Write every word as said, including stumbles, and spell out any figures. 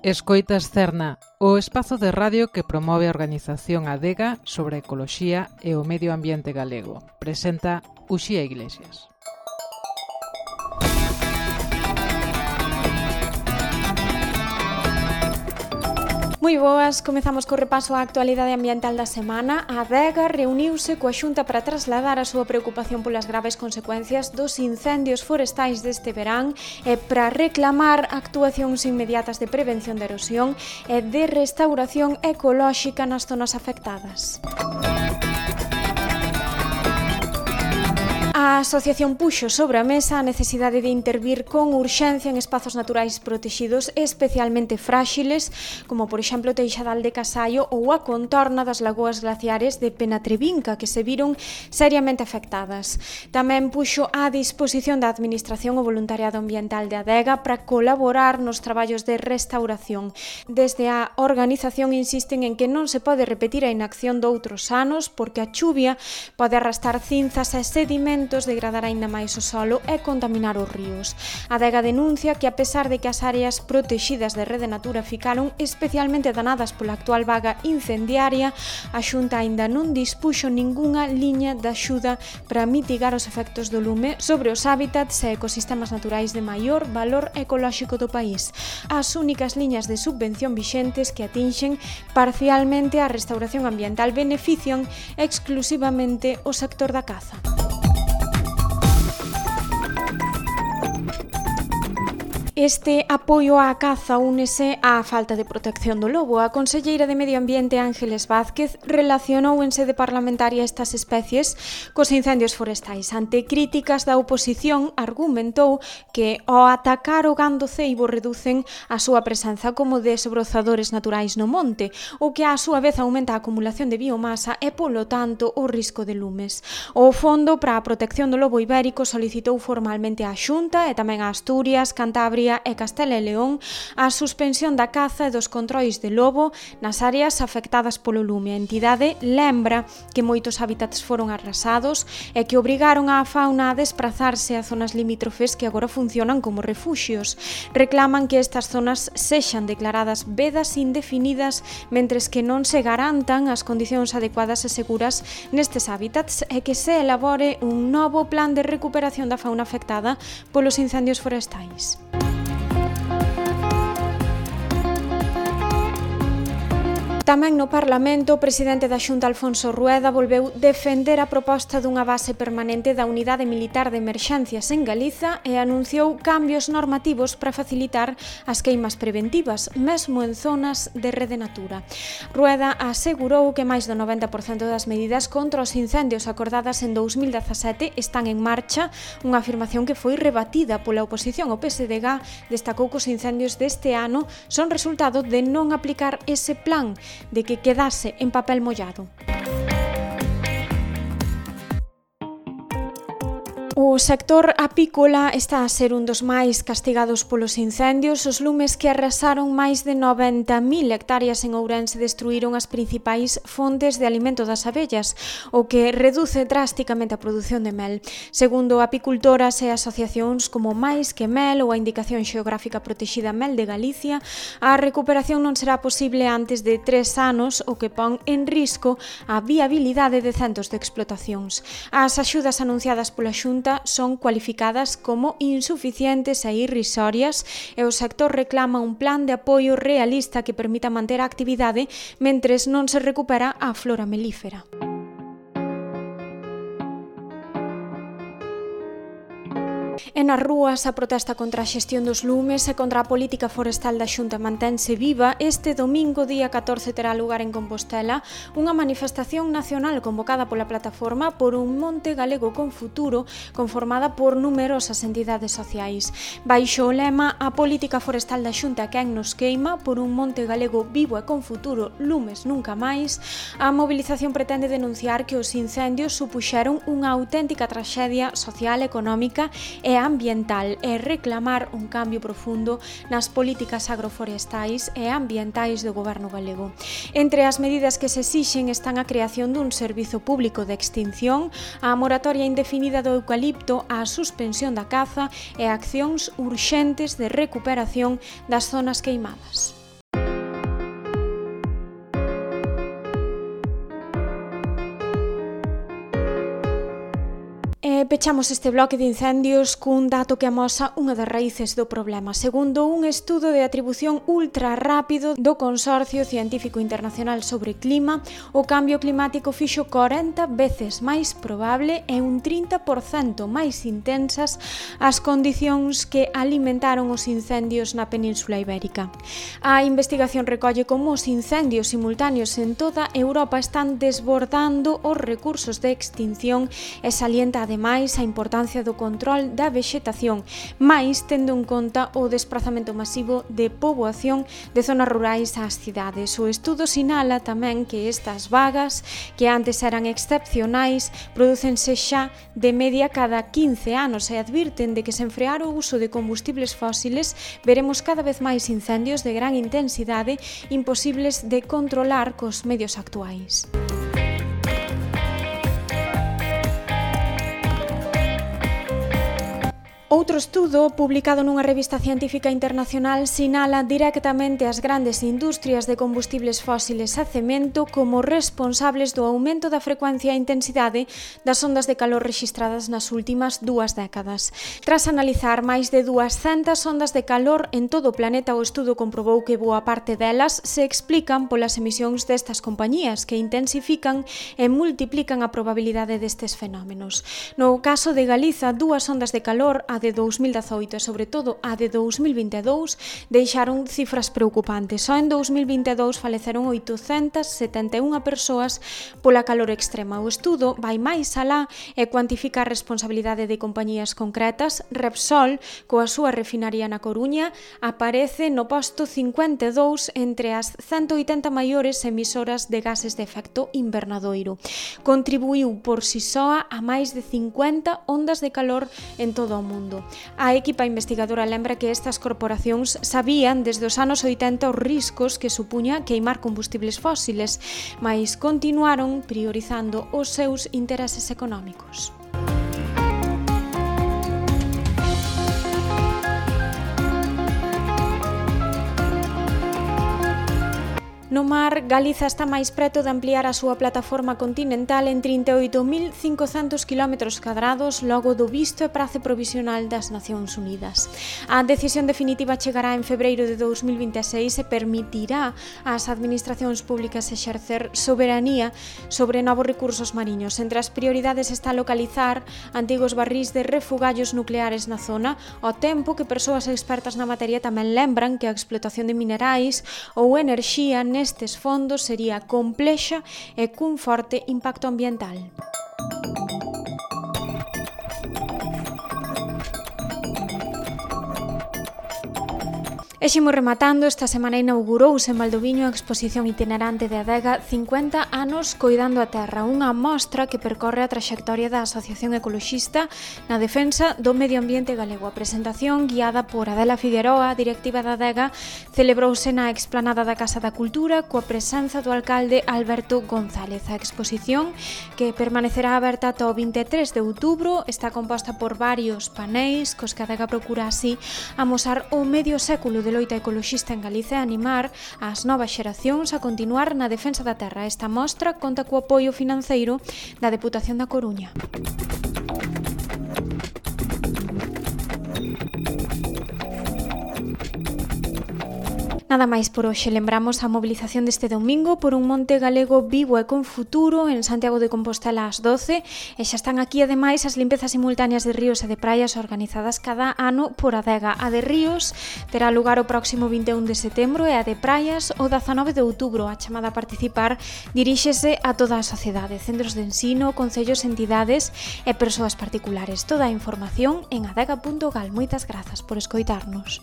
Escoitas Cerna, o espazo de radio que promove a organización Adega sobre a ecoloxía e o medio ambiente galego. Presenta Uxía Iglesias. Moi boas, comezamos co repaso á actualidade ambiental da semana. A Adega reuniuse coa Xunta para trasladar a súa preocupación polas graves consecuencias dos incendios forestais deste verán e para reclamar actuacións inmediatas de prevención de erosión e de restauración ecolóxica nas zonas afectadas. A asociación puxo sobre a mesa a necesidade de intervir con urxencia en espazos naturais protexidos especialmente fráxiles, como por exemplo Teixadal de Casallo ou a contorna das lagoas glaciares de Penatrevinca, que se viron seriamente afectadas. Tamén puxo á disposición da Administración o voluntariado ambiental de Adega para colaborar nos traballos de restauración. Desde a organización insisten en que non se pode repetir a inacción doutros anos porque a chuvia pode arrastrar cinzas e sedimentos, degradar aínda máis o solo e contaminar os ríos. A Adega denuncia que a pesar de que as áreas protexidas de Rede Natura ficaron especialmente danadas pola actual vaga incendiaria, a Xunta aínda non dispuxo ningunha liña de axuda para mitigar os efectos do lume sobre os hábitats e ecosistemas naturais de maior valor ecolóxico do país. As únicas liñas de subvención vixentes que atinxen parcialmente a restauración ambiental benefician exclusivamente o sector da caza. Este apoio á caza únese á falta de protección do lobo. A conselleira de Medio Ambiente Ángeles Vázquez relacionou en sede parlamentaria estas especies cos incendios forestais. Ante críticas da oposición, argumentou que ao atacar o gando ceibo reducen a súa presenza como desbrozadores naturais no monte, o que á súa vez aumenta a acumulación de biomasa e, polo tanto, o risco de lumes. O Fondo para a Protección do Lobo Ibérico solicitou formalmente á Xunta e tamén a Asturias, Cantabria e Castela e León a suspensión da caza e dos controis de lobo nas áreas afectadas polo lume. A entidade lembra que moitos hábitats foron arrasados e que obrigaron á fauna a desprazarse a zonas limítrofes que agora funcionan como refuxios. Reclaman que estas zonas sexan declaradas vedas indefinidas mentres que non se garantan as condicións adecuadas e seguras nestes hábitats e que se elabore un novo plan de recuperación da fauna afectada polos incendios forestais. Tamén no Parlamento, o presidente da Xunta, Alfonso Rueda, volveu defender a proposta dunha base permanente da Unidade Militar de Emerxencias en Galiza e anunciou cambios normativos para facilitar as queimas preventivas, mesmo en zonas de Rede Natura. Rueda asegurou que máis do noventa por cento das medidas contra os incendios acordadas en dous mil dezasete están en marcha, unha afirmación que foi rebatida pola oposición. O P S D G destacou que os incendios deste ano son resultado de non aplicar ese plan, de que quedase en papel mollado. O sector apícola está a ser un dos máis castigados polos incendios. Os lumes que arrasaron máis de noventa mil hectáreas en Ourense destruíron as principais fontes de alimento das abellas, o que reduce drásticamente a produción de mel. Segundo apicultoras e asociacións como Mais que Mel ou a Indicación Xeográfica Protexida Mel de Galicia, a recuperación non será posible antes de tres anos, o que pon en risco a viabilidade de centos de explotacións. As axudas anunciadas pola Xunta son cualificadas como insuficientes e irrisorias e o sector reclama un plan de apoio realista que permita manter a actividade mentres non se recupera a flora melífera. E nas rúas a protesta contra a xestión dos lumes e contra a política forestal da Xunta mantense viva. Este domingo, día catorce, terá lugar en Compostela unha manifestación nacional convocada pola plataforma Por un Monte Galego con Futuro, conformada por numerosas entidades sociais. Baixo o lema "A política forestal da Xunta quen nos queima, por un monte galego vivo e con futuro, lumes nunca máis", a mobilización pretende denunciar que os incendios supuxeron unha auténtica traxedia social, económica e ambiental e reclamar un cambio profundo nas políticas agroforestais e ambientais do goberno galego. Entre as medidas que se exixen están a creación dun servizo público de extinción, a moratoria indefinida do eucalipto, a suspensión da caza e accións urxentes de recuperación das zonas queimadas. pechamos este bloque de incendios cun dato que amosa unha das raíces do problema. Segundo un estudo de atribución ultra rápido do Consorcio Científico Internacional sobre Clima, o cambio climático fixo corenta veces máis probable e un trinta por cento máis intensas as condicións que alimentaron os incendios na Península Ibérica. A investigación recolle como os incendios simultáneos en toda Europa están desbordando os recursos de extinción e salienta ademais a importancia do control da vexetación, máis tendo en conta o desprazamento masivo de poboación de zonas rurais ás cidades. O estudo sinala tamén que estas vagas, que antes eran excepcionais, prodúcense xa de media cada quince anos e advirten de que sen frear o uso de combustibles fósiles veremos cada vez máis incendios de gran intensidade imposibles de controlar cos medios actuais. Outro estudo, publicado nunha revista científica internacional, sinala directamente as grandes industrias de combustibles fósiles a cemento como responsables do aumento da frecuencia e intensidade das ondas de calor rexistradas nas últimas dúas décadas. Tras analizar máis de duascentas ondas de calor en todo o planeta, o estudo comprobou que boa parte delas se explican polas emisións destas compañías que intensifican e multiplican a probabilidade destes fenómenos. No caso de Galiza, dúas ondas de calor, a de dous mil dezaoito e sobre todo a de dous mil vinte e dous deixaron cifras preocupantes. Só en dous mil vinte e dous faleceron oitocentas setenta e unha persoas pola calor extrema. O estudo vai máis alá e cuantifica a responsabilidade de compañías concretas. Repsol, coa súa refinaría na Coruña, aparece no posto cincuenta e dous entre as ciento oitenta maiores emisoras de gases de efecto invernadoiro. Contribuiu por si soa a máis de cincuenta ondas de calor en todo o mundo. A equipa investigadora lembra que estas corporacións sabían desde os anos oitenta os riscos que supuña queimar combustibles fósiles, mas continuaron priorizando os seus intereses económicos. No mar, Galiza está máis preto de ampliar a súa plataforma continental en trinta e oito mil cincocentos quilómetros cadrados logo do visto e prace provisional das Nacións Unidas. A decisión definitiva chegará en febreiro de dous mil vinte e seis e permitirá ás administracións públicas exercer soberanía sobre novos recursos mariños. Entre as prioridades está localizar antigos barrís de refugallos nucleares na zona, ao tempo que persoas expertas na materia tamén lembran que a explotación de minerais ou enerxía nestes fondos sería complexa e cun forte impacto ambiental. E ximos rematando, esta semana inaugurouse en Valdoviño a exposición itinerante de Adega cincuenta anos coidando a terra, unha mostra que percorre a traxectoria da Asociación Ecoloxista na defensa do medio ambiente galego. A presentación, guiada por Adela Figueroa, directiva da Adega, celebrouse na explanada da Casa da Cultura coa presenza do alcalde Alberto González. A exposición, que permanecerá aberta ata o vinte e tres de outubro, está composta por varios paneis cos que a Adega procura así amosar o medio século de loita ecoloxista en Galicia e animar as novas xeracións a continuar na defensa da terra. Esta mostra conta co apoio financeiro da Deputación da Coruña. Nada máis por hoxe. Lembramos a mobilización deste domingo por un monte galego vivo e con futuro en Santiago de Compostela ás doce, e xa están aquí ademais as limpezas simultáneas de ríos e de praias organizadas cada ano por Adega. A de ríos terá lugar o próximo vinte e un de setembro e a de praias o dezanove de outubro. A chamada a participar diríxese a toda a sociedade, centros de ensino, concellos, entidades e persoas particulares. Toda a información en adega punto gal. Moitas grazas por escoitarnos.